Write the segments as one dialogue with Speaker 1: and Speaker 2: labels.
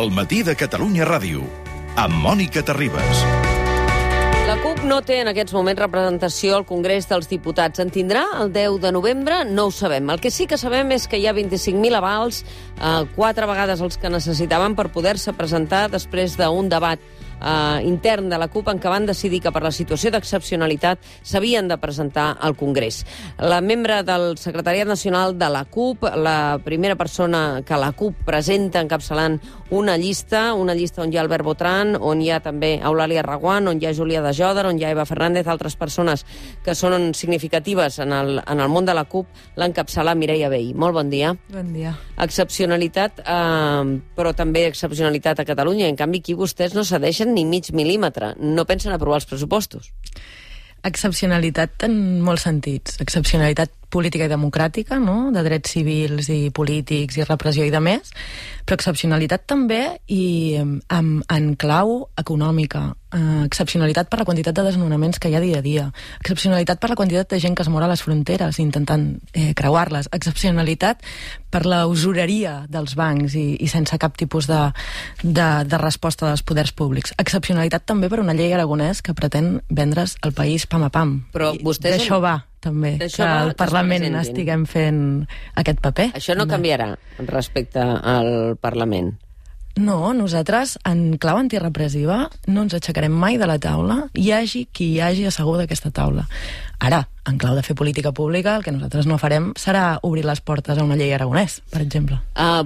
Speaker 1: El matí de Catalunya Ràdio, amb Mònica Terribas.
Speaker 2: La CUP no té en aquests moments representació al Congrés dels Diputats. En tindrà el 10 de novembre? No ho sabem. El que sí que sabem és que hi ha 25.000 avals, 4 vegades els que necessitaven per poder-se presentar després d'un debat intern de la CUP en què van decidir que per la situació d'excepcionalitat s'havien de presentar al Congrés. La membre del Secretariat Nacional de la CUP, la primera persona que la CUP presenta encapçalant una llista on hi ha Albert Botran, on hi ha també Eulàlia Reguant, on hi ha Júlia de Jòdar, on hi ha Eva Fernández, altres persones que són significatives en el món de la CUP, l'encapçala Mireia Vehí. Molt bon dia.
Speaker 3: Bon dia.
Speaker 2: Excepcionalitat, però també excepcionalitat a Catalunya. En canvi, aquí vostès no cedeixen ni mig mil·límetre. No pensen aprovar els pressupostos.
Speaker 3: Excepcionalitat en molts sentits. Excepcionalitat política i democràtica, no? De drets civils i polítics i repressió i de més, però excepcionalitat també i en clau econòmica. Excepcionalitat per la quantitat de desnonaments que hi ha dia a dia. Excepcionalitat per la quantitat de gent que es mor a les fronteres intentant creuar-les. Excepcionalitat per la usureria dels bancs i sense cap tipus de resposta dels poders públics. Excepcionalitat també per una llei aragonès que pretén vendre's el país pam a pam.
Speaker 2: Però vostès...
Speaker 3: D'això va, també, que al Parlament estiguem fent aquest paper.
Speaker 2: Això no canviarà respecte al Parlament?
Speaker 3: No, nosaltres, en clau antirepressiva, no ens aixecarem mai de la taula, hi hagi qui hi hagi assegut d'aquesta taula. Ara, en clau de fer política pública, el que nosaltres no farem serà obrir les portes a una llei aragonès, per exemple.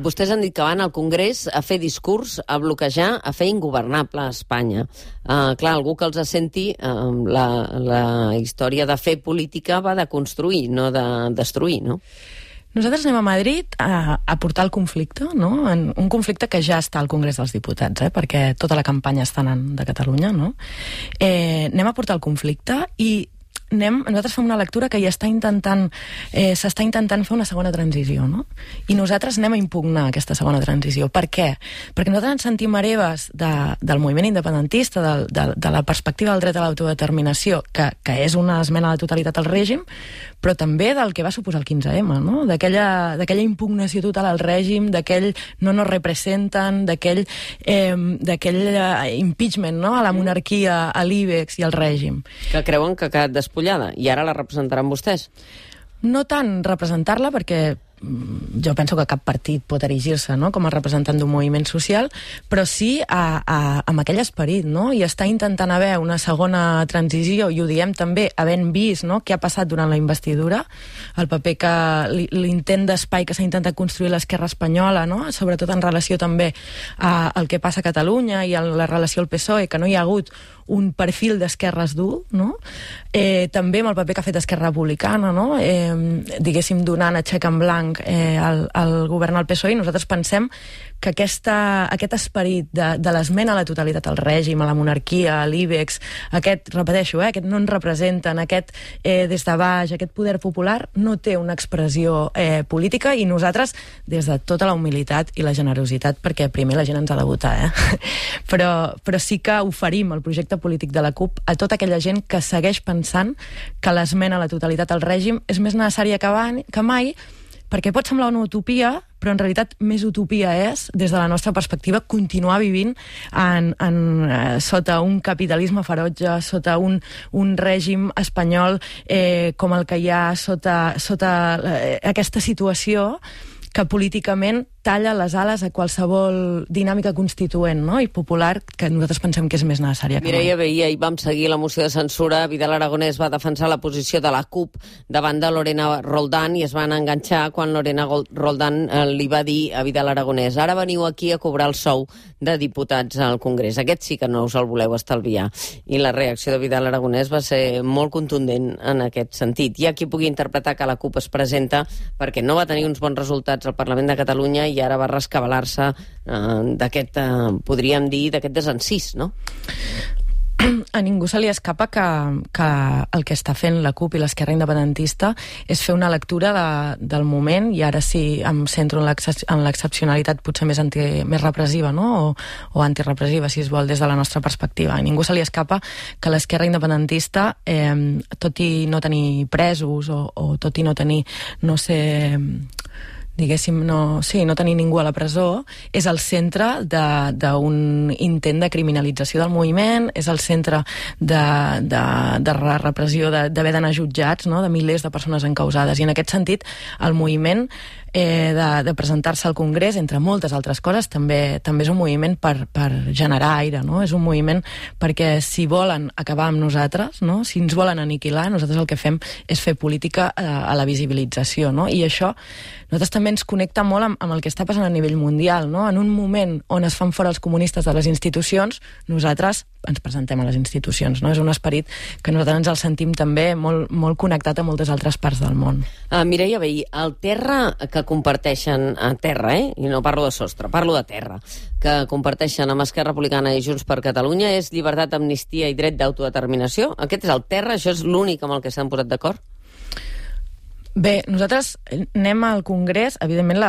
Speaker 2: Vostès han dit que van al Congrés a fer discurs, a bloquejar, a fer ingovernable a Espanya. Clar, algú que els senti, la història de fer política va de construir, no de destruir, no?
Speaker 3: Nosaltres anem a Madrid a portar el conflicte, no? Un conflicte que ja està al Congrés dels Diputats, perquè tota la campanya està anant de Catalunya, no? Anem a portar el conflicte i nosaltres fem una lectura que ja s'està intentant fer una segona transició, no? I nosaltres anem a impugnar aquesta segona transició. Per què? Perquè nosaltres ens sentim hereves del moviment independentista, de la perspectiva del dret a l'autodeterminació, que és una esmena a la totalitat al règim, però també del que va suposar el 15M, no? D'aquella impugnació total al règim, d'aquell no nos representen, d'aquell impeachment, no? A la monarquia, a l'IBEX i al règim.
Speaker 2: Que creuen que ha quedat despullada, i ara la representaran vostès?
Speaker 3: No tant representar-la, perquè jo penso que cap partit pot erigir-se, no?, com a representant d'un moviment social, però sí amb aquell esperit, no?, i està intentant haver una segona transició, i ho diem també havent vist, no?, què ha passat durant la investidura, el paper que l'intent d'espai que s'ha intentat construir l'esquerra espanyola, no?, sobretot en relació també al que passa a Catalunya i a la relació al PSOE, que no hi ha hagut un perfil d'esquerres dur, no?, també amb el paper que ha fet Esquerra Republicana, no?, diguéssim, donant a xec en blanc al govern al PSOE, i nosaltres pensem que aquest esperit de l'esmena a la totalitat al règim, a la monarquia, a l'IBEX, aquest no ens representen, aquest des de baix, aquest poder popular, no té una expressió política, i nosaltres, des de tota la humilitat i la generositat, perquè primer la gent ens ha de votar, però sí que oferim el projecte polític de la CUP a tota aquella gent que segueix pensant que l'esmena a la totalitat al règim és més necessària que mai, perquè pot semblar una utopia, però en realitat més utopia és, des de la nostra perspectiva, continuar vivint sota un capitalisme ferotge, sota un règim espanyol com el que hi ha, sota aquesta situació que políticament talla les ales a qualsevol dinàmica constituent, no?, i popular, que nosaltres pensem que és més necessària.
Speaker 2: Mireia Vehí, ahir vam seguir la moció de censura. Vidal Aragonés va defensar la posició de la CUP davant de Lorena Roldán i es van enganxar quan Lorena Roldán li va dir a Vidal Aragonés: ara veniu aquí a cobrar el sou de diputats al Congrés. Aquest sí que no us el voleu estalviar. I la reacció de Vidal Aragonés va ser molt contundent en aquest sentit. Hi ha qui pugui interpretar que la CUP es presenta perquè no va tenir uns bons resultats al Parlament de Catalunya i ara va rescabalar-se d'aquest, podríem dir, d'aquest desencís, no?
Speaker 3: A ningú se li escapa que el que està fent la CUP i l'esquerra independentista és fer una lectura del moment, i ara sí em centro en l'excepcionalitat potser més repressiva, no?, o antirepressiva, si es vol, des de la nostra perspectiva. A ningú se li escapa que l'esquerra independentista, tot i no tenir presos o tot i no tenir, no sé, diguéssim, no tenir ningú a la presó, és el centre d'un intent de criminalització del moviment, és el centre de repressió, d'haver d'anar jutjats, no?, de milers de persones encausades. I en aquest sentit, el moviment de presentar-se al Congrés, entre moltes altres coses, també és un moviment per generar aire, no? És un moviment perquè si volen acabar amb nosaltres, no?, si ens volen aniquilar, nosaltres el que fem és fer política a la visibilització, no? I això nosaltres també ens connecta molt amb el que està passant a nivell mundial, no? En un moment on es fan fora els comunistes de les institucions, nosaltres ens presentem a les institucions, no? És un esperit que nosaltres ens el sentim també molt connectat a moltes altres parts del món.
Speaker 2: Mireia Vehí, el terra que comparteixen, terra, i no parlo de sostre, parlo de terra, que comparteixen amb Esquerra Republicana i Junts per Catalunya és llibertat, amnistia i dret d'autodeterminació? Aquest és el terra? Això és l'únic amb el que s'han posat d'acord?
Speaker 3: Bé, nosaltres anem al Congrés, evidentment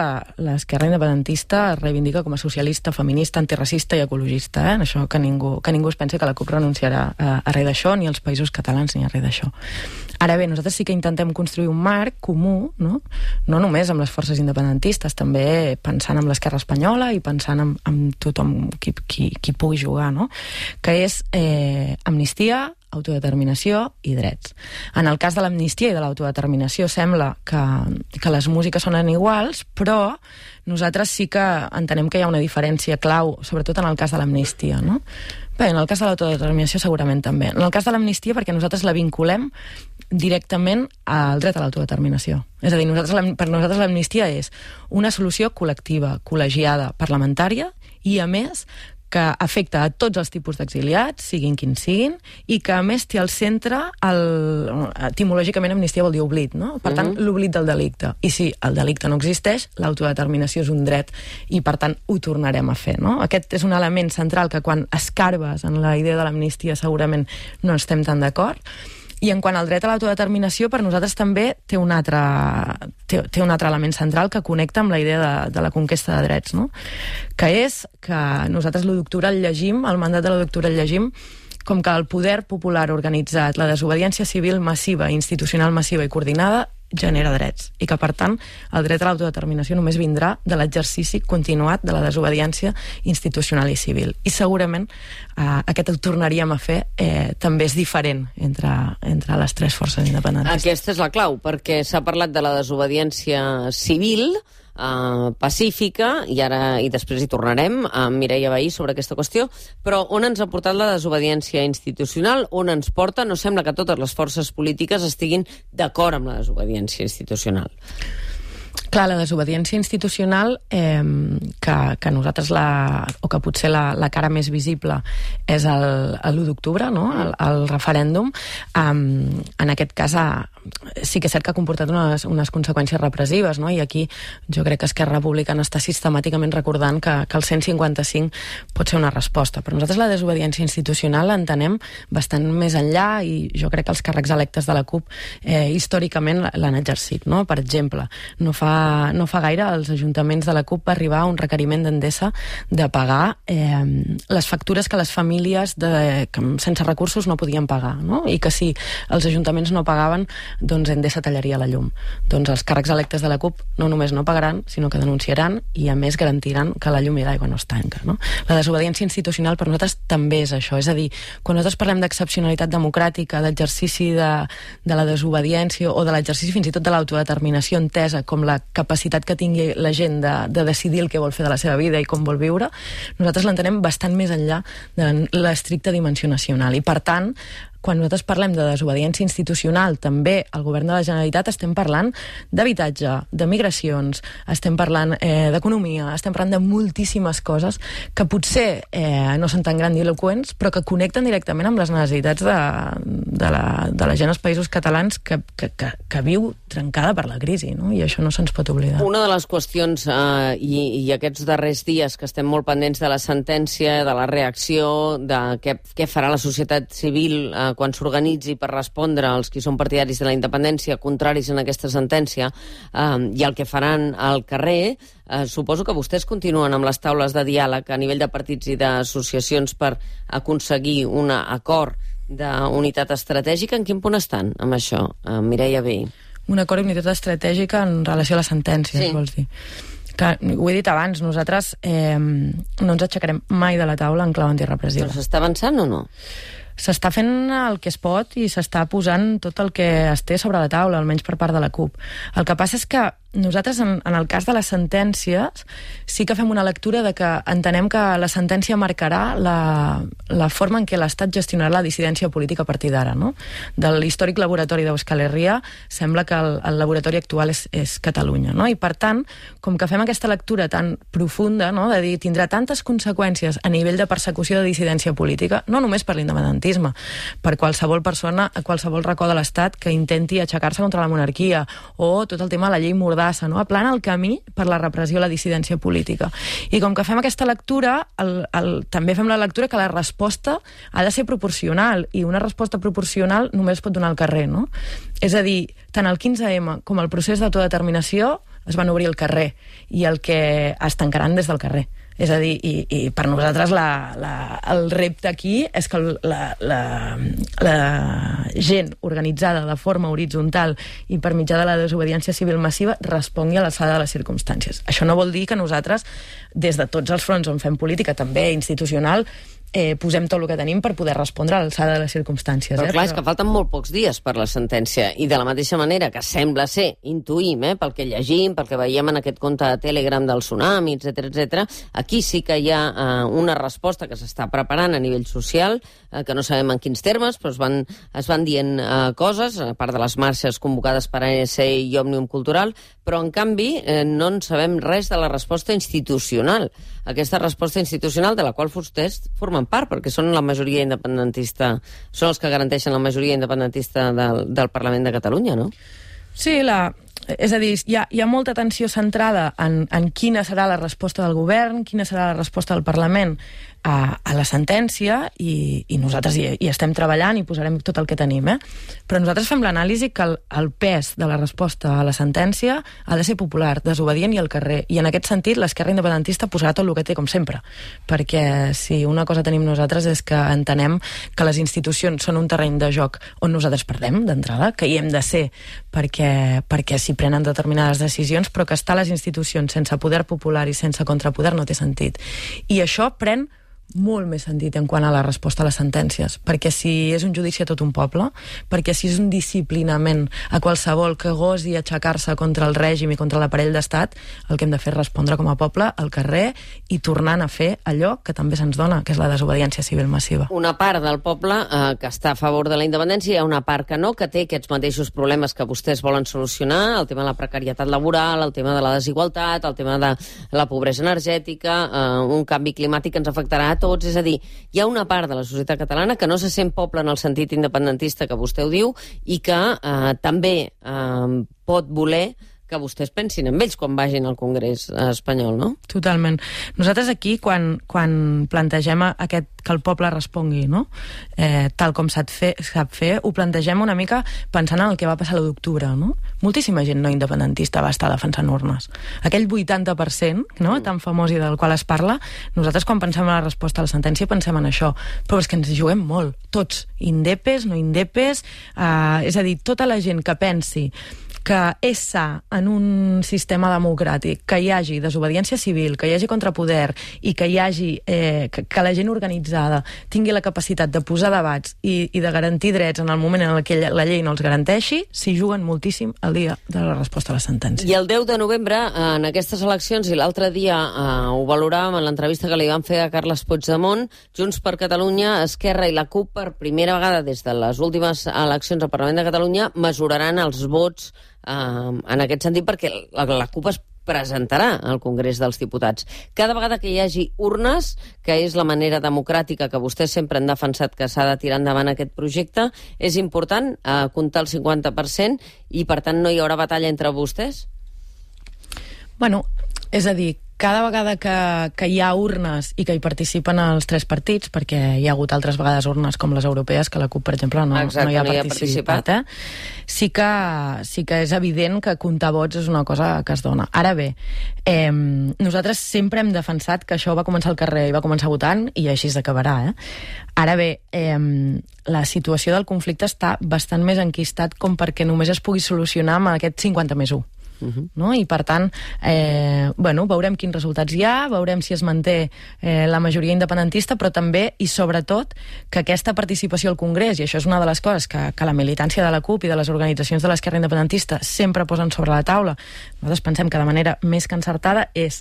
Speaker 3: l'esquerra independentista es reivindica com a socialista, feminista, antiracista i ecologista, això que ningú es pensi que la CUP renunciarà a res d'això, ni als països catalans ni a res d'això. Ara bé, nosaltres sí que intentem construir un marc comú, no només amb les forces independentistes, també pensant en l'esquerra espanyola i pensant en tothom qui pugui jugar, no?, que és amnistia, autodeterminació i drets. En el cas de l'amnistia i de l'autodeterminació sembla que les músiques sonen iguals, però nosaltres sí que entenem que hi ha una diferència clau, sobretot en el cas de l'amnistia, no? Bé, en el cas de l'autodeterminació segurament també. En el cas de l'amnistia perquè nosaltres la vinculem directament al dret a l'autodeterminació. És a dir, per nosaltres l'amnistia és una solució col·lectiva, col·legiada, parlamentària i, a més, que afecta a tots els tipus d'exiliats, siguin quins siguin, i que a més té al centre, etimològicament amnistia vol dir oblit, no? Per tant, l'oblit del delicte. I si el delicte no existeix, l'autodeterminació és un dret i per tant ho tornarem a fer, no? Aquest és un element central que quan escarbes en la idea de l'amnistia segurament no estem tan d'acord. I en quant al dret a l'autodeterminació, per nosaltres també té un altre element central que connecta amb la idea de la conquesta de drets, no? Que és que nosaltres l'1 d'octubre el llegim, el mandat de l'1 d'octubre el llegim com que el poder popular organitzat, la desobediència civil massiva, institucional massiva i coordinada genera drets, i que per tant el dret a l'autodeterminació només vindrà de l'exercici continuat de la desobediència institucional i civil, i segurament aquest el tornaríem a fer també és diferent entre les tres forces independentistes.
Speaker 2: Aquesta és la clau, perquè s'ha parlat de la desobediència civil pacífica, i després hi tornarem amb Mireia Vehí sobre aquesta qüestió, però on ens ha portat la desobediència institucional, on ens porta? No sembla que totes les forces polítiques estiguin d'acord amb la desobediència institucional.
Speaker 3: Clar, la desobediència institucional, que nosaltres o que potser la cara més visible és l'1 d'octubre, no?, el referèndum, en aquest cas sí que és cert que ha comportat unes conseqüències repressives, no?, i aquí jo crec que Esquerra Republicana està sistemàticament recordant que el 155 pot ser una resposta. Però nosaltres la desobediència institucional l'entenem bastant més enllà, i jo crec que els càrrecs electes de la CUP històricament l'han exercit, no? Per exemple, no fa gaire als ajuntaments de la CUP va arribar un requeriment d'Endesa de pagar les factures que les famílies sense recursos no podien pagar, no? I que si els ajuntaments no pagaven, doncs Endesa tallaria la llum. Doncs els càrrecs electes de la CUP no només no pagaran, sinó que denunciaran i a més garantiran que la llum i l'aigua no es tanca, no? La desobediència institucional per nosaltres també és això, és a dir, quan nosaltres parlem d'excepcionalitat democràtica, d'exercici de la desobediència o de l'exercici fins i tot de l'autodeterminació entesa com la capacitat que tingui la gent de decidir el que vol fer de la seva vida i com vol viure, nosaltres l'entenem bastant més enllà de l'estricta dimensió nacional. I per tant, quan nosaltres parlem de desobediència institucional, també al govern de la Generalitat estem parlant d'habitatge, de migracions, estem parlant d'economia, estem parlant de moltíssimes coses que potser no són tan grandiloqüents, però que connecten directament amb les necessitats de la gent als països catalans que viu trencada per la crisi, no? I això no se'ns pot oblidar.
Speaker 2: Una de les qüestions, i aquests darrers dies que estem molt pendents de la sentència, de la reacció, de què farà la societat civil quan s'organitzi per respondre als qui són partidaris de la independència, contraris en aquesta sentència, i el que faran al carrer, suposo que vostès continuen amb les taules de diàleg a nivell de partits i d'associacions per aconseguir un acord d'unitat estratègica. En quin punt estan amb això, Mireia Vehí?
Speaker 3: Un acord d'unitat estratègica en relació a les sentències, vols dir? Que, ho he dit abans, nosaltres no ens aixecarem mai de la taula en clau antirepressiva.
Speaker 2: Però s'està avançant o no?
Speaker 3: S'està fent el que es pot i s'està posant tot el que es té sobre la taula, almenys per part de la CUP. El que passa és que nosaltres, en el cas de les sentències, sí que fem una lectura de que entenem que la sentència marcarà la forma en què l'Estat gestionarà la dissidència política a partir d'ara, no? De l'històric laboratori d'Euskal Herria sembla que el laboratori actual és Catalunya, no? I per tant, com que fem aquesta lectura tan profunda, no? De dir, tindrà tantes conseqüències a nivell de persecució de dissidència política, no només per l'independentisme, per qualsevol persona a qualsevol racó de l'Estat que intenti aixecar-se contra la monarquia, o tot el tema de la llei Mordassa, no? Aplana el camí per la repressió a la dissidència política. I com que fem aquesta lectura, també fem la lectura que la resposta ha de ser proporcional, i una resposta proporcional només es pot donar al carrer, no? És a dir, tant el 15M com el procés d'autodeterminació es van obrir al carrer, i el que es tancaran des del carrer. És a dir, i per nosaltres el repte aquí és que la gent organitzada de forma horitzontal i per mitjà de la desobediència civil massiva respongui a l'alçada de les circumstàncies. Això no vol dir que nosaltres, des de tots els fronts on fem política, també institucional, posem tot el que tenim per poder respondre a l'alçada de les circumstàncies.
Speaker 2: Però clar, és que falten molt pocs dies per la sentència, i de la mateixa manera que sembla ser, intuïm, pel que llegim, pel que veiem en aquest compte de Telegram del tsunami, etc., aquí sí que hi ha una resposta que s'està preparant a nivell social, que no sabem en quins termes, però es van dient coses, a part de les marxes convocades per ANC i Òmnium Cultural, però en canvi no en sabem res de la resposta institucional. Aquesta resposta institucional de la qual vostès formen part, perquè són la majoria independentista, són els que garanteixen la majoria independentista del Parlament de Catalunya, no?
Speaker 3: Sí, és a dir, hi ha molta atenció centrada en quina serà la resposta del govern, quina serà la resposta del Parlament a la sentència, i nosaltres hi estem treballant i posarem tot el que tenim, però nosaltres fem l'anàlisi que el pes de la resposta a la sentència ha de ser popular, desobedient i al carrer, i en aquest sentit l'esquerra independentista posarà tot el que té, com sempre, perquè si una cosa tenim nosaltres és que entenem que les institucions són un terreny de joc on nosaltres perdem d'entrada, que hi hem de ser perquè s'hi prenen determinades decisions, però que estar a les institucions sense poder popular i sense contrapoder no té sentit. I això pren molt més sentit en quant a la resposta a les sentències, perquè si és un judici a tot un poble, perquè si és un disciplinament a qualsevol que gosi aixecar-se contra el règim i contra l'aparell d'estat, el que hem de fer és respondre com a poble al carrer i tornant a fer allò que també se'ns dona, que és la desobediència civil massiva.
Speaker 2: Una part del poble que està a favor de la independència, hi ha una part que no, que té aquests mateixos problemes que vostès volen solucionar, el tema de la precarietat laboral, el tema de la desigualtat, el tema de la pobresa energètica, un canvi climàtic que ens afectarà a tots, és a dir, hi ha una part de la societat catalana que no se sent poble en el sentit independentista que vostè ho diu i que també pot voler que vostès pensin en ells quan vagin al Congrés espanyol, no?
Speaker 3: Totalment. Nosaltres aquí, quan plantegem que el poble respongui, no? Tal com sap fer, ho plantegem una mica pensant en el que va passar l'1 d'octubre, no? Moltíssima gent no independentista va estar defensant urnes. Aquell 80%, no?, tan famós i del qual es parla, nosaltres quan pensem en la resposta a la sentència pensem en això, però és que ens juguem molt, tots, indepes, no indepes, és a dir, tota la gent que pensi que és sa en un sistema democràtic, que hi hagi desobediència civil, que hi hagi contrapoder i que hi hagi que la gent organitzada tingui la capacitat de posar debats i de garantir drets en el moment en què la llei no els garanteixi, s'hi juguen moltíssim el dia de la resposta a la sentència.
Speaker 2: I el 10 de novembre, en aquestes eleccions, i l'altre dia ho valoràvem en l'entrevista que li van fer a Carles Puigdemont, Junts per Catalunya, Esquerra i la CUP, per primera vegada des de les últimes eleccions al Parlament de Catalunya, mesuraran els vots en aquest sentit, perquè la CUP es presentarà al Congrés dels Diputats. Cada vegada que hi hagi urnes, que és la manera democràtica que vostès sempre han defensat que s'ha de tirar endavant aquest projecte, és important comptar el 50% i, per tant, no hi haurà batalla entre vostès?
Speaker 3: Bueno, és a dir, cada vegada que hi ha urnes i que hi participen els 3 partits, perquè hi ha hagut altres vegades urnes com les europees, que la CUP, per exemple, no hi ha participat, sí que és evident que comptar vots és una cosa que es dona. Ara bé, nosaltres sempre hem defensat que això va començar al carrer i va començar votant i així s'acabarà. Ara bé, la situació del conflicte està bastant més enquistat com perquè només es pugui solucionar amb aquest 50+1. No? I per tant veurem quins resultats hi ha, veurem si es manté la majoria independentista, però també i sobretot que aquesta participació al Congrés, i això és una de les coses que la militància de la CUP i de les organitzacions de l'esquerra independentista sempre posen sobre la taula, nosaltres pensem que de manera més que encertada, és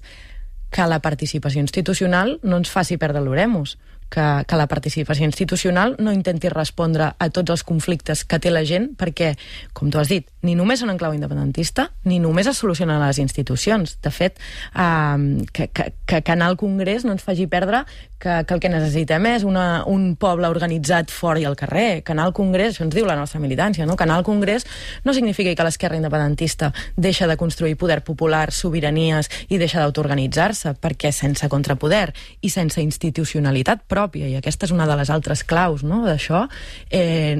Speaker 3: que la participació institucional no ens faci perdre l'oremus, que la participació institucional no intenti respondre a tots els conflictes que té la gent, perquè, com tu has dit, ni només són en clau independentista, ni només es solucionen a les institucions. De fet, que anar al Congrés no ens faci perdre que el que necessitem és un poble organitzat fora i al carrer. Que anar al Congrés, això ens diu la nostra militància, no? Que anar al Congrés no significa que l'esquerra independentista deixa de construir poder popular, sobiranies i deixa d'autoorganitzar-se, perquè sense contrapoder i sense institucionalitat pròpia, i aquesta és una de les altres claus, no, d'això,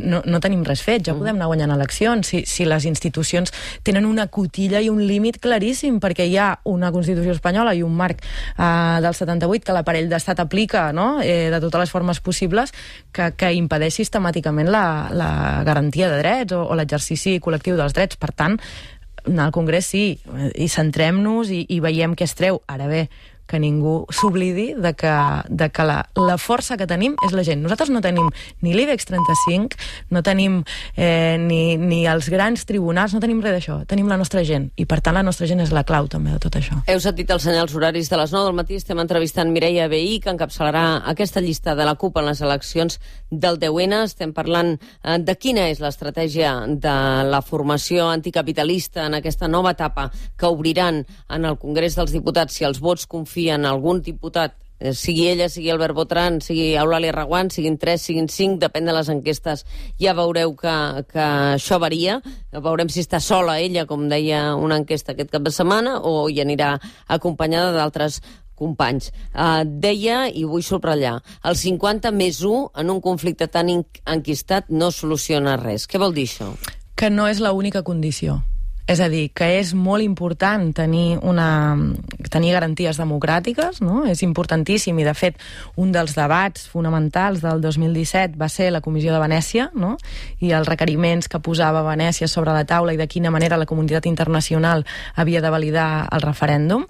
Speaker 3: no tenim res fet. Ja podem anar guanyant eleccions si les institucions tenen una cotilla i un límit claríssim, perquè hi ha una Constitució espanyola i un marc del 78 que l'aparell d'estat aplica, no? De totes les formes possibles, que impedeix sistemàticament la garantia de drets o l'exercici col·lectiu dels drets. Per tant, anar al Congrés sí, i centrem-nos i veiem què es treu. Ara bé, que ningú s'oblidi de que la força que tenim és la gent. Nosaltres no tenim ni l'IBEX 35, no tenim ni els grans tribunals, no tenim res d'això. Tenim la nostra gent, i per tant la nostra gent és la clau també de tot això.
Speaker 2: Heu sentit els senyals horaris de les 9 del matí. Estem entrevistant Mireia Vehí, que encapçalarà aquesta llista de la CUP en les eleccions del 10N. Estem parlant de quina és l'estratègia de la formació anticapitalista en aquesta nova etapa que obriran en el Congrés dels Diputats si els vots confien en algun diputat, sigui ella, sigui Albert Botran, sigui Eulàlia Reguant, siguin 3, siguin 5, depèn de les enquestes. Ja veureu que això varia. Veurem si està sola ella, com deia una enquesta aquest cap de setmana, o hi anirà acompanyada d'altres companys. Deia, i vull subratllar, el 50+1 en un conflicte tan enquistat no soluciona res. Què vol dir això?
Speaker 3: Que no és l'única condició. És a dir, que és molt important tenir garanties democràtiques, no? És importantíssim, i de fet un dels debats fonamentals del 2017 va ser la Comissió de Venècia, no? I els requeriments que posava Venècia sobre la taula i de quina manera la comunitat internacional havia de validar el referèndum.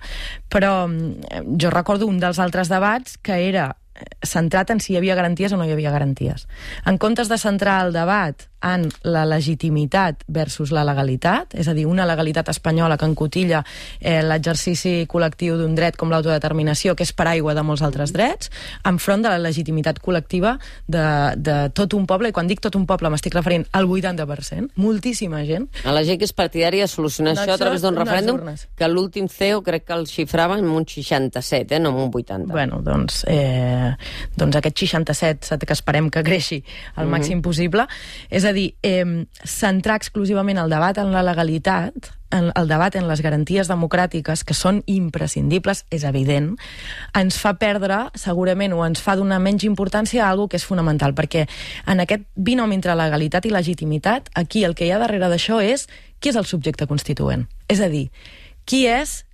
Speaker 3: Però jo recordo un dels altres debats que era centrat en si hi havia garanties o no hi havia garanties. En comptes de centrar el debat en la legitimitat versus la legalitat, és a dir, una legalitat espanyola que encotilla l'exercici col·lectiu d'un dret com l'autodeterminació, que és paraigua de molts altres drets, enfront de la legitimitat col·lectiva de tot un poble, i quan dic tot un poble m'estic referint al 80%, moltíssima gent.
Speaker 2: A la gent que és partidària de solucionar això a través d'un referèndum, que l'últim CEO crec que el xifrava en un 67, no en un 80.
Speaker 3: Bueno, doncs aquest 67 que esperem que creixi al màxim possible. És a dir, centrar exclusivament el debat en la legalitat, el debat en les garanties democràtiques, que són imprescindibles, és evident, ens fa perdre, segurament, o ens fa donar menys importància a alguna que és fonamental, perquè en aquest binomi entre legalitat i legitimitat, aquí el que hi ha darrere d'això és qui és el subjecte constituent. És a dir, qui és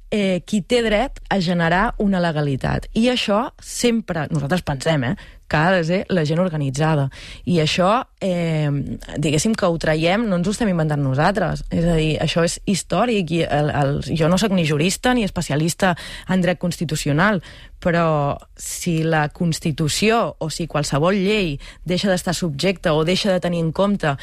Speaker 3: qui té dret a generar una legalitat. I això sempre, nosaltres pensem, que ha de ser la gent organitzada. I això, diguéssim que ho traiem, no ens ho estem inventant nosaltres. És a dir, això és històric. Jo no soc ni jurista ni especialista en dret constitucional, però si la Constitució o si qualsevol llei deixa d'estar subjecta o deixa de tenir en compte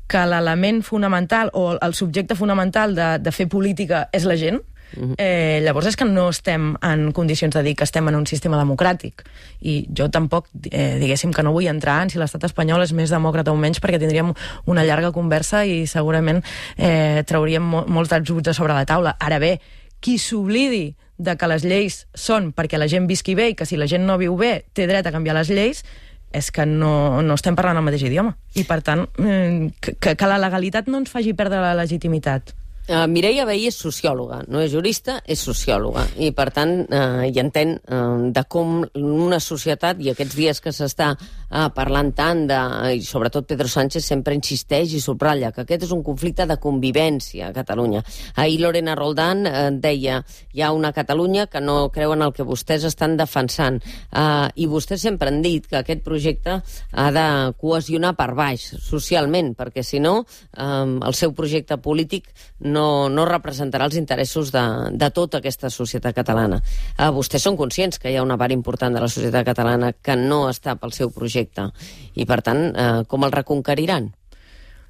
Speaker 3: que l'element fonamental o el subjecte fonamental de fer política és la gent, llavors és que no estem en condicions de dir que estem en un sistema democràtic. I jo tampoc, diguéssim que no vull entrar en si l'estat espanyol és més demòcrata o menys, perquè tindríem una llarga conversa i segurament trauríem molts dels dubtes sobre la taula. Ara bé, qui s'oblidi de que les lleis són perquè la gent visqui bé i que si la gent no viu bé té dret a canviar les lleis, és que no estem parlant el mateix idioma. I per tant, que la legalitat no ens faci perdre la legitimitat.
Speaker 2: Mireia Vehí és sociòloga, no és jurista, és sociòloga, i per tant hi entén de com una societat, i aquests dies que s'està parlant tant i sobretot Pedro Sánchez sempre insisteix i subratlla que aquest és un conflicte de convivència a Catalunya. Ahir Lorena Roldán deia hi ha una Catalunya que no creu en el que vostès estan defensant, i vostès sempre han dit que aquest projecte ha de cohesionar per baix, socialment, perquè si no el seu projecte polític no representarà els interessos de tota aquesta societat catalana. Vostès són conscients que hi ha una part important de la societat catalana que no està pel seu projecte i, per tant, com el reconqueriran?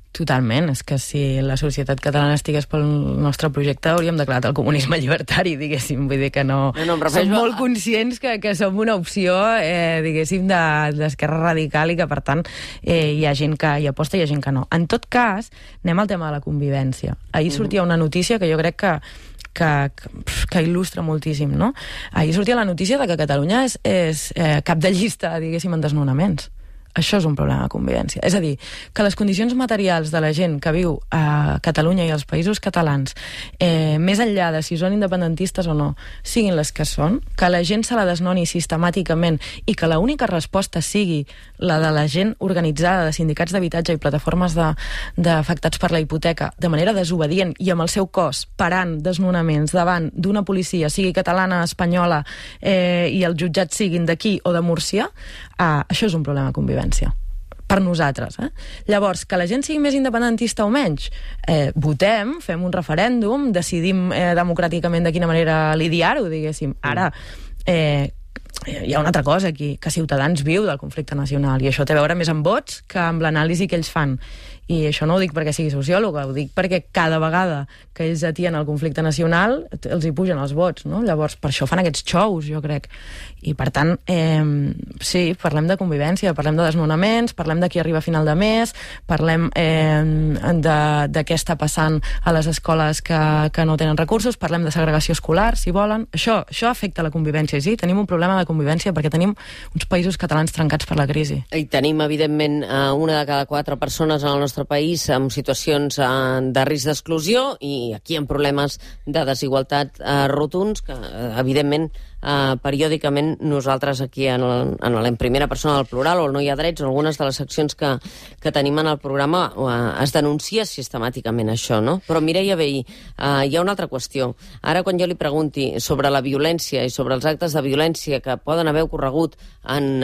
Speaker 3: Totalment, és que si la societat catalana estigués pel nostre projecte hauríem declarat el comunisme llibertari, diguéssim, vull dir que no som molt conscients que som una opció, diguéssim, d'esquerra radical i que, per tant, hi ha gent que hi aposta i hi ha gent que no. En tot cas, anem al tema de la convivència. Ahir sortia una notícia que jo crec que il·lustra moltíssim, no? Ahir sortia la notícia de que Catalunya és cap de llista, diguéssim, en desnonaments. Això és un problema de convivència. És a dir, que les condicions materials de la gent que viu a Catalunya i als països catalans, més enllà de si són independentistes o no, siguin les que són, que la gent se la desnoni sistemàticament i que l'única resposta sigui la de la gent organitzada de sindicats d'habitatge i plataformes d'afectats per la hipoteca de manera desobedient i amb el seu cos parant desnonaments davant d'una policia, sigui catalana, espanyola, i els jutjats siguin d'aquí o de Múrcia, això és un problema de convivència per nosaltres. Llavors, que la gent sigui més independentista o menys, votem, fem un referèndum, decidim democràticament de quina manera lidiar-ho, diguéssim. Ara, hi ha una altra cosa aquí, que Ciutadans viu del conflicte nacional, i això té a veure més amb vots que amb l'anàlisi que ells fan. I això no ho dic perquè sigui sociòloga, ho dic perquè cada vegada que ells atien el conflicte nacional els hi pugen els vots, no? Llavors, per això fan aquests xous, jo crec. I, per tant, sí, parlem de convivència, parlem de desnonaments, parlem de qui arriba a final de mes, parlem de què està passant a les escoles que no tenen recursos, parlem de segregació escolar, si volen. Això afecta la convivència, i sí, tenim un problema de convivència perquè tenim uns països catalans trencats per la crisi.
Speaker 2: I tenim, evidentment, una de cada 4 persones en el nostre país amb situacions de risc d'exclusió i aquí amb problemes de desigualtat rotunds que, evidentment, periòdicament nosaltres aquí en primera persona del plural o el No hi ha drets, o algunes de les seccions que tenim en el programa es denuncia sistemàticament això, no? Però Mireia Vehí, hi ha una altra qüestió. Ara quan jo li pregunti sobre la violència i sobre els actes de violència que poden haver ocorregut en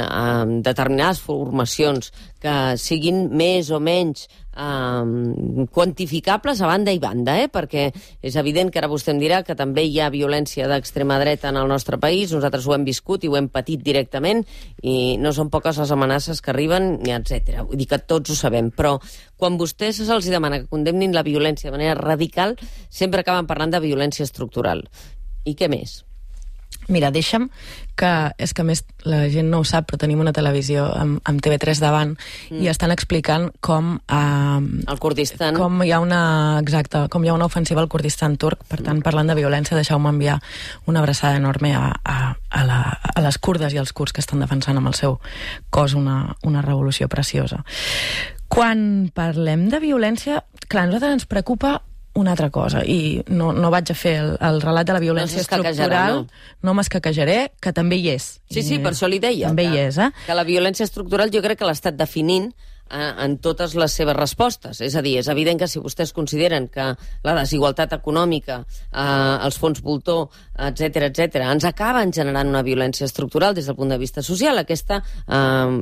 Speaker 2: determinades formacions que siguin més o menys quantificables a banda i banda, perquè és evident que ara vostè em dirà que també hi ha violència d'extrema dreta en el nostre país, nosaltres ho hem viscut i ho hem patit directament i no són poques les amenaces que arriben, etc. Vull dir que tots ho sabem, però quan vostès se'ls demana que condemnin la violència de manera radical, sempre acaben parlant de violència estructural. I què més?
Speaker 3: Mira, deixa'm que, és que a més la gent no ho sap, però tenim una televisió amb TV3 davant i estan explicant com
Speaker 2: el Kurdistan,
Speaker 3: com hi ha una ofensiva al Kurdistan turc. Per tant, parlant de violència, deixeu-me enviar una abraçada enorme a les kurdes i als kurds que estan defensant amb el seu cos una revolució preciosa. Quan parlem de violència, clar, a nosaltres ens preocupa una altra cosa, i no vaig a fer el relat de la violència estructural, no m'escaquejaré, que també hi és.
Speaker 2: Sí, per això li deia.
Speaker 3: També hi és,
Speaker 2: que la violència estructural jo crec que l'ha estat definint en totes les seves respostes. És a dir, és evident que si vostès consideren que la desigualtat econòmica, els fons voltor, etc, ens acaben generant una violència estructural des del punt de vista social, aquesta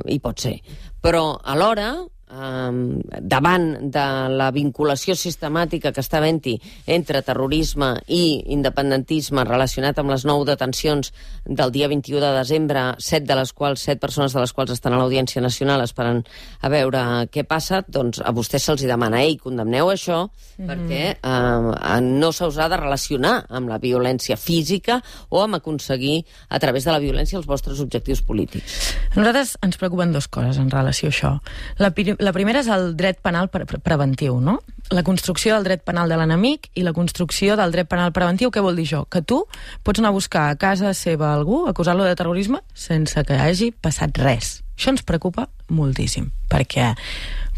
Speaker 2: hi pot ser. Però alhora, davant de la vinculació sistemàtica que està havent-hi entre terrorisme i independentisme relacionat amb les 9 detencions del dia 21 de desembre, 7 persones de les quals estan a l'Audiència Nacional esperant a veure què passa, doncs a vostès se'ls demana, condemneu això, perquè no se us ha de relacionar amb la violència física o amb aconseguir a través de la violència els vostres objectius polítics.
Speaker 3: A nosaltres ens preocupen dues coses en relació a això. La primera és el dret penal preventiu, no? La construcció del dret penal de l'enemic i la construcció del dret penal preventiu. Què vol dir això? Que tu pots anar a buscar a casa seva algú, acusar-lo de terrorisme, sense que hagi passat res. Això ens preocupa moltíssim, perquè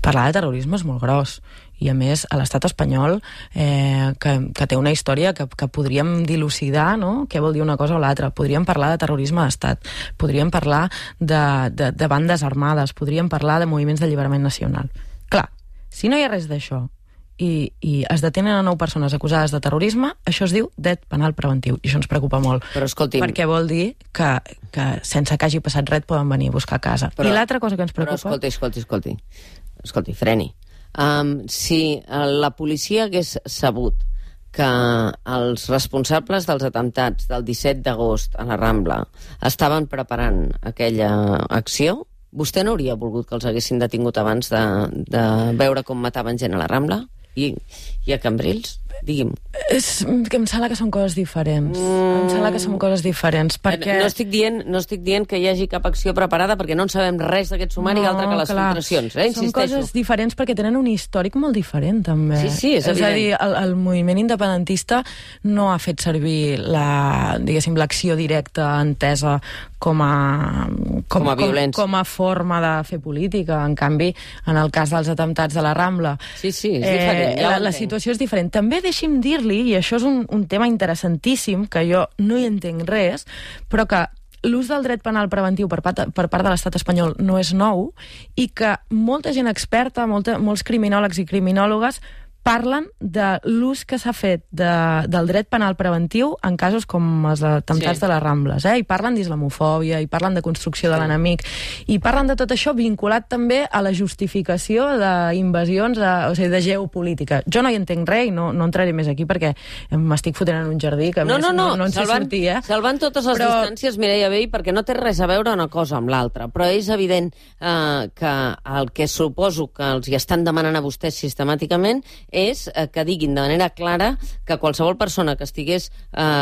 Speaker 3: parlar de terrorisme és molt gros i a més a l'estat espanyol que té una història que podríem dilucidar, no? Què vol dir una cosa o l'altra. Podríem parlar de terrorisme d'estat, podríem parlar de bandes armades, podríem parlar de moviments d'alliberament nacional. Clar, si no hi ha res d'això i es detenen a 9 persones acusades de terrorisme, això es diu dret penal preventiu, i això ens preocupa molt. Però escolti'm, perquè vol dir que sense que hagi passat res poden venir a buscar a casa. I l'altra cosa que ens preocupa...
Speaker 2: Però escolti, freni. Si la policia hagués sabut que els responsables dels atemptats del 17 d'agost a la Rambla estaven preparant aquella acció, vostè no hauria volgut que els haguessin detingut abans de veure com mataven gent a la Rambla i a Cambrils? Digui'm.
Speaker 3: És que em sembla que són coses diferents. Em sembla que són coses diferents, perquè...
Speaker 2: No estic dient que hi hagi cap acció preparada, perquè no en sabem res d'aquest sumari, altre que les filtracions, insisteixo. Són coses
Speaker 3: diferents perquè tenen un històric molt diferent, també.
Speaker 2: Sí, és evident.
Speaker 3: És a dir, el moviment independentista no ha fet servir l'acció directa entesa com a
Speaker 2: violència,
Speaker 3: com a forma de fer política. En canvi, en el cas dels atemptats de la Rambla,
Speaker 2: és diferent.
Speaker 3: La situació és diferent. També deixi'm dir-li, i això és un tema interessantíssim, que jo no hi entenc res, però que l'ús del dret penal preventiu per part de l'estat espanyol no és nou i que molta gent experta, molts criminòlegs i criminòlogues parlen de l'ús que s'ha fet del dret penal preventiu en casos com els atemptats de les Rambles, i parlen d'islamofòbia, i parlen de construcció de l'enemic, i parlen de tot això vinculat també a la justificació d'invasions, o sigui, de geopolítica. Jo no hi entenc res i no entraré més aquí perquè m'estic fotent en un jardí que no en sé sortir.
Speaker 2: Salvant totes les distàncies, Mireia Vehí, perquè no té res a veure una cosa amb l'altra, però és evident que el que suposo que els hi estan demanant a vostès sistemàticament és que diguin de manera clara que qualsevol persona que estigués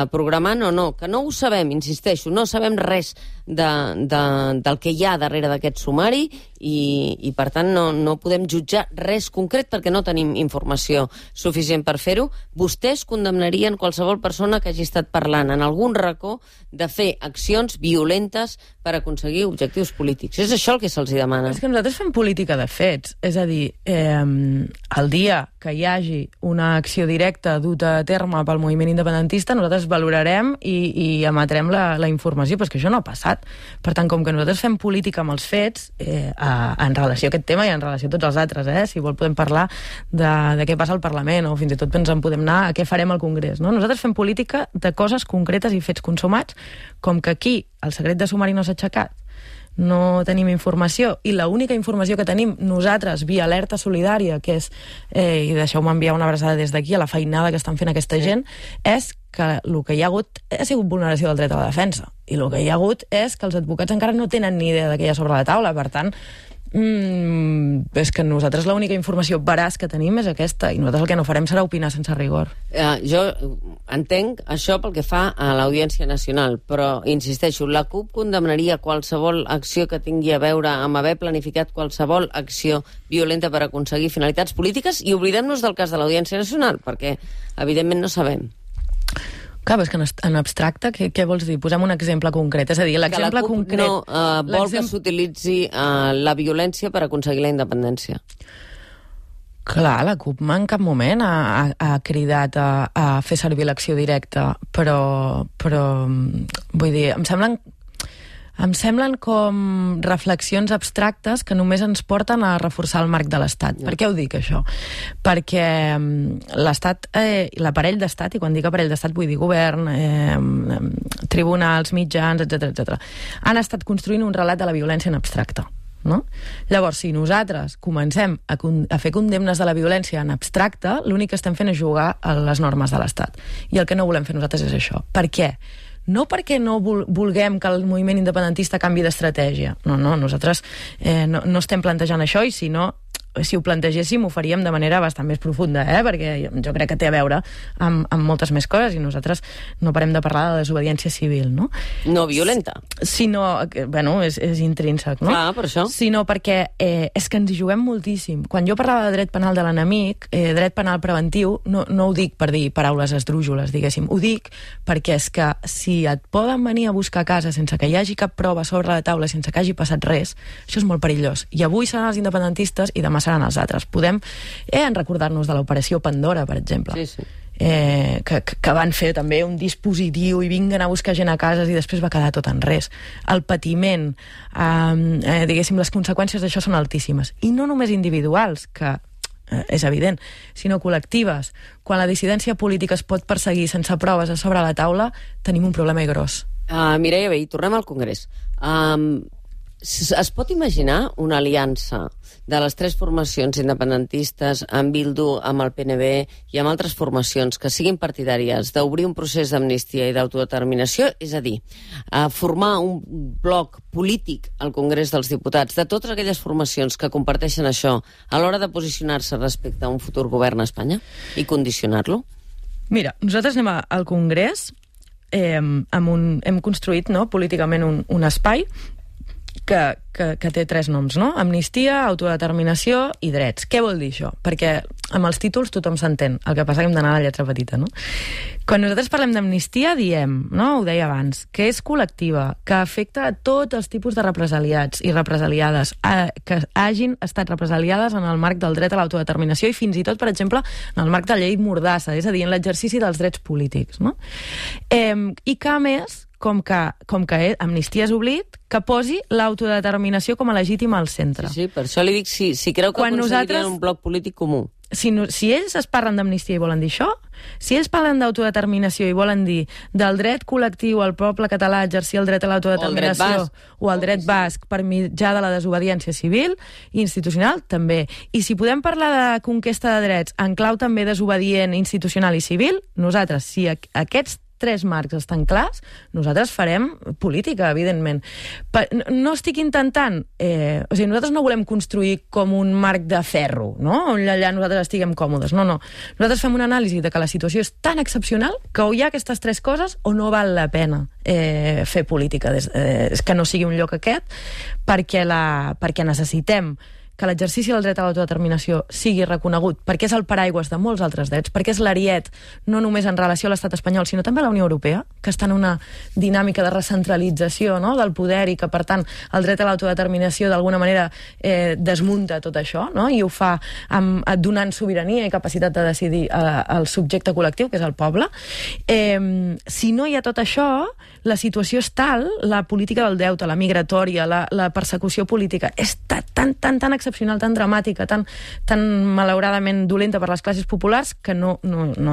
Speaker 2: programant o no, que no ho sabem, insisteixo, no sabem res del que hi ha darrere d'aquest sumari i per tant no podem jutjar res concret perquè no tenim informació suficient per fer-ho. Vostès condemnarien qualsevol persona que hagi estat parlant en algun racó de fer accions violentes per aconseguir objectius polítics. És això el que se'ls demana.
Speaker 3: És que nosaltres fem política de fets. És a dir, el dia que hi hagi una acció directa duta a terme pel moviment independentista, nosaltres valorarem i emetrem la informació, però és que això no ha passat. Per tant, com que nosaltres fem política amb els fets, en relació a aquest tema i en relació a tots els altres, si vol podem parlar de què passa al Parlament, o fins i tot ens en podem anar a què farem al Congrés. No? Nosaltres fem política de coses concretes i fets consumats, com que aquí el secret de sumari no s'ha aixecat, no tenim informació, i l'única informació que tenim nosaltres via alerta solidària, que és, i deixeu-me enviar una abraçada des d'aquí a la feinada que estan fent aquesta gent, és que el que hi ha hagut ha sigut vulneració del dret a la defensa, i el que hi ha hagut és que els advocats encara no tenen ni idea de què hi ha sobre la taula. Per tant, és que nosaltres l'única informació veraç que tenim és aquesta, i nosaltres el que no farem serà opinar sense rigor.
Speaker 2: Jo entenc això pel que fa a l'Audiència Nacional, però insisteixo, la CUP condemnaria qualsevol acció que tingui a veure amb haver planificat qualsevol acció violenta per aconseguir finalitats polítiques, i oblidem-nos del cas de l'Audiència Nacional, perquè evidentment no sabem.
Speaker 3: Clar, és que en abstracte, què vols dir? Posem un exemple concret. És a dir, l'exemple concret...
Speaker 2: Que la CUP no vol que s'utilitzi la violència per aconseguir la independència.
Speaker 3: Clar, la CUP en cap moment ha cridat a fer servir l'acció directa, però vull dir, em semblen com reflexions abstractes que només ens porten a reforçar el marc de l'Estat. Per què ho dic, això? Perquè l'Estat, l'aparell d'Estat, i quan dic aparell d'Estat vull dir govern, tribunals, mitjans, etc., han estat construint un relat de la violència en abstracte. No? Llavors, si nosaltres comencem a fer condemnes de la violència en abstracte, l'únic que estem fent és jugar a les normes de l'Estat. I el que no volem fer nosaltres és això. Per què? No perquè no vulguem que el moviment independentista canvi d'estratègia. No, nosaltres no estem plantejant això, i si ho plantegéssim ho faríem de manera bastant més profunda, perquè jo crec que té a veure amb moltes més coses, i nosaltres no parem de parlar de desobediència civil, no?
Speaker 2: No violenta.
Speaker 3: Sinó, bueno, és intrínsec, no?
Speaker 2: Clar, per això.
Speaker 3: Sinó perquè és que ens hi juguem moltíssim. Quan jo parlava de dret penal de l'enemic, dret penal preventiu, no ho dic per dir paraules esdrújoles, diguéssim. Ho dic perquè és que si et poden venir a buscar a casa sense que hi hagi cap prova sobre la taula, sense que hagi passat res, això és molt perillós. I avui seran els independentistes i demà seran els altres. Podem recordar-nos de l'operació Pandora, per exemple.
Speaker 2: Sí, sí.
Speaker 3: Que van fer també un dispositiu i vinguen a buscar gent a cases i després va quedar tot en res. El patiment, diguéssim, les conseqüències d'això són altíssimes. I no només individuals, que és evident, sinó col·lectives. Quan la dissidència política es pot perseguir sense proves a sobre la taula, tenim un problema gros.
Speaker 2: Mireia Vehí, tornem al Congrés. Es pot imaginar una aliança de les tres formacions independentistes, amb Bildu, amb el PNB i amb altres formacions que siguin partidàries d'obrir un procés d'amnistia i d'autodeterminació? És a dir, formar un bloc polític al Congrés dels Diputats de totes aquelles formacions que comparteixen això a l'hora de posicionar-se respecte a un futur govern a Espanya i condicionar-lo?
Speaker 3: Mira, nosaltres anem al Congrés, hem construït políticament un espai que té tres noms, no? Amnistia, autodeterminació i drets. Què vol dir això? Perquè amb els títols tothom s'entén, el que passa que hem d'anar a la lletra petita, no? Quan nosaltres parlem d'amnistia diem, no? Ho deia abans, que és col·lectiva, que afecta a tots els tipus de represaliats i represaliades que hagin estat represaliades en el marc del dret a l'autodeterminació i fins i tot, per exemple, en el marc de la llei Mordassa, és a dir, en l'exercici dels drets polítics, no? I que, a més, com que Amnistia és oblit, que posi l'autodeterminació com a legítima al centre.
Speaker 2: Sí, per això li dic si creu que aconseguirien un bloc polític comú.
Speaker 3: Si ells es parlen d'amnistia i volen dir això, si ells parlen d'autodeterminació i volen dir del dret col·lectiu al poble català a exercir el dret a l'autodeterminació o el dret basc per mitjà de la desobediència civil i institucional, també. I si podem parlar de conquesta de drets en clau també desobedient, institucional i civil, nosaltres, si aquests tres marcs estan clars, nosaltres farem política, evidentment. No estic intentant... nosaltres no volem construir com un marc de ferro, no? On allà nosaltres estiguem còmodes. No. Nosaltres fem una anàlisi de que la situació és tan excepcional que o hi ha aquestes tres coses o no val la pena fer política. Que no sigui un lloc aquest, perquè necessitem que l'exercici del dret a l'autodeterminació sigui reconegut, perquè és el paraigües de molts altres drets, perquè és l'ariet no només en relació a l'estat espanyol, sinó també a la Unió Europea, que està en una dinàmica de recentralització, no?, del poder i que, per tant, el dret a l'autodeterminació d'alguna manera desmunta tot això, no?, i ho fa donant sobirania i capacitat de decidir al subjecte col·lectiu, que és el poble. Si no hi ha tot això, la situació és tal, la política del deute, la migratòria, la persecució política, és tan excepcional, tan dramàtica, tan malauradament dolenta per les classes populars, que no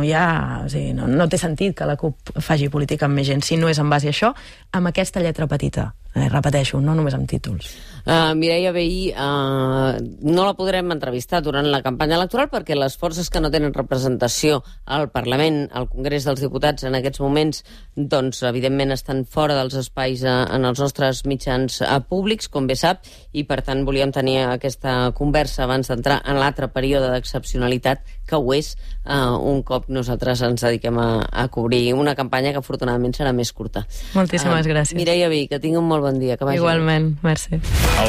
Speaker 3: hi ha... O sigui, no té sentit que la CUP faci política amb més gent, si no és en base a això, amb aquesta lletra petita. Repeteixo, no només amb títols.
Speaker 2: Mireia Vehí, no la podrem entrevistar durant la campanya electoral perquè les forces que no tenen representació al Parlament, al Congrés dels Diputats en aquests moments, doncs evidentment estan fora dels espais en els nostres mitjans públics, com bé sap, i per tant volíem tenir aquesta conversa abans d'entrar en l'altre període d'excepcionalitat que ho és un cop nosaltres ens dediquem a cobrir una campanya que afortunadament serà més curta.
Speaker 3: Moltíssimes gràcies.
Speaker 2: Mireia Vehí, que tingui un molt bon dia.
Speaker 3: Igualment, merci.